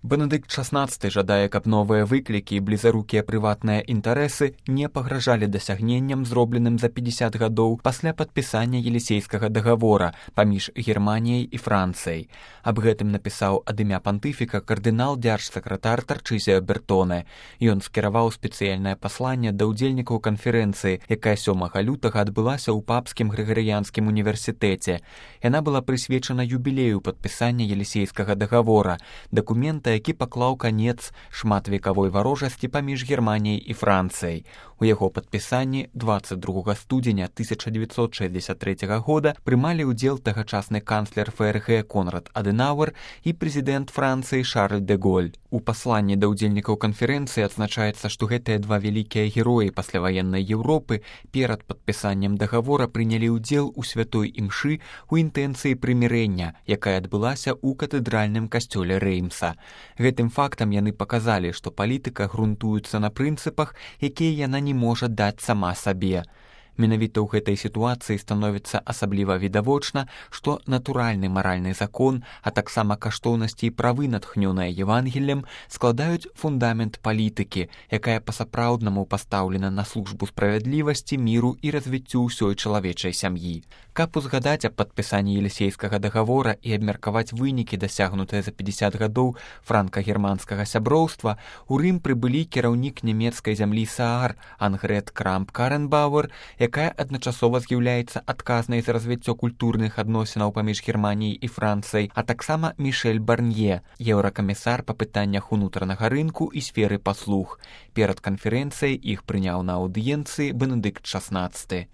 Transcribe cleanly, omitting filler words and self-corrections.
Бенедыкт XVI жадае, каб новыя выклікі і блізарукія прыватныя інтарэсы не пагражалі дасягненням, зробленым за 50 гадоў пасля падпісання Елісейскага дагавора паміж Германіяй і Францыяй. Аб гэтым напісаў ад імя пантыфіка кардынал дзяржсакратар Тарчызія Бертоне. Ён скіраваў спецыяльнае пасланне да ўдзельнікаў канферэнцыі, якая 7 лютага адбылася ў Папскім Грыгарыянскім універсітэце. Яна была прысвечана юбілею падпісання Елісейскага дагавора, дакумента, які паклаў канец шматвекавой варожасці паміж Германіяй і Францыяй. У яго падпісанні 22 студзеня 1963 года прымалі ўдзел тагачасны канцлер ФРГ Конрад Адэнауэр і прэзідэнт Францыі Шарль де Голь. У пасланні да ўдзельнікаў канферэнцыі адзначаецца, што гэтыя два вялікія героі пасляваеннай Еўропы перад падпісаннем дагавора прынялі ўдзел у святой імшы ў інтэнцыі прымірэння, якая адбылася ў катэдральным касцёле Рэймса. Гэтым фактам яны паказалі, што палітыка грунтуецца на прынцыпах, якія яна не можа даць сама сабе. Менавіта ў гэтай сітуацыі становіцца асабліва відавочна, што натуральны маральны закон, а таксама каштоўнасці і правы, натхнёныя Евангеллем, складаюць фундамент палітыкі, якая па-сапраўднаму пастаўлена на службу справядлівасці, міру і развіццю ўсёй чалавечай сям'і. Каб узгадаць аб падпісанні Елісейскага дагавора і абмеркаваць вынікі, дасягнутыя за 50 гадоў франка-германскага сяброўства, у Рым прыбылі кіраўнік нямецкай зямлі Саар Ангрет Крамп-Каренбауэр, якая адначасова з'яўляецца адказнай за развіццё культурных адносінаў паміж Германіяй і Францыяй, а таксама Мішэль Барнье, еўракамісар па пытаннях унутранага рынку і сферы паслуг. Перад канферэнцыяй іх прыняў на аўдыенцыі Бенедыкт XVI.